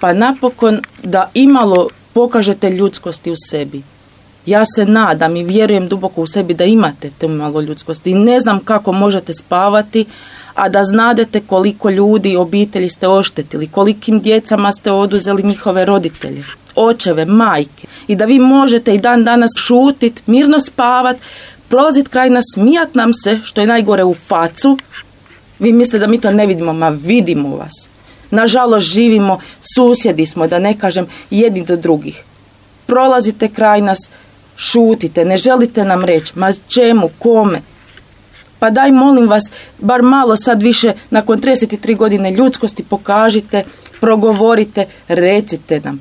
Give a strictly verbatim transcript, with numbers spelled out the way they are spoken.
pa napokon da imalo pokažete ljudskosti u sebi. Ja se nadam i vjerujem duboko u sebi da imate te malo ljudskosti. I ne znam kako možete spavati, a da znadete koliko ljudi, obitelji ste oštetili, kolikim djecama ste oduzeli njihove roditelje, očeve, majke. I da vi možete i dan danas šutit, mirno spavat, prolazit kraj nas, smijat nam se, što je najgore, u facu. Vi mislite da mi to ne vidimo, ma vidimo vas. Nažalost živimo, susjedi smo, da ne kažem, jedni do drugih. Prolazite kraj nas, šutite, ne želite nam reći, ma čemu, kome? Pa daj, molim vas, bar malo sad više, nakon trideset tri godine ljudskosti, pokažite, progovorite, recite nam.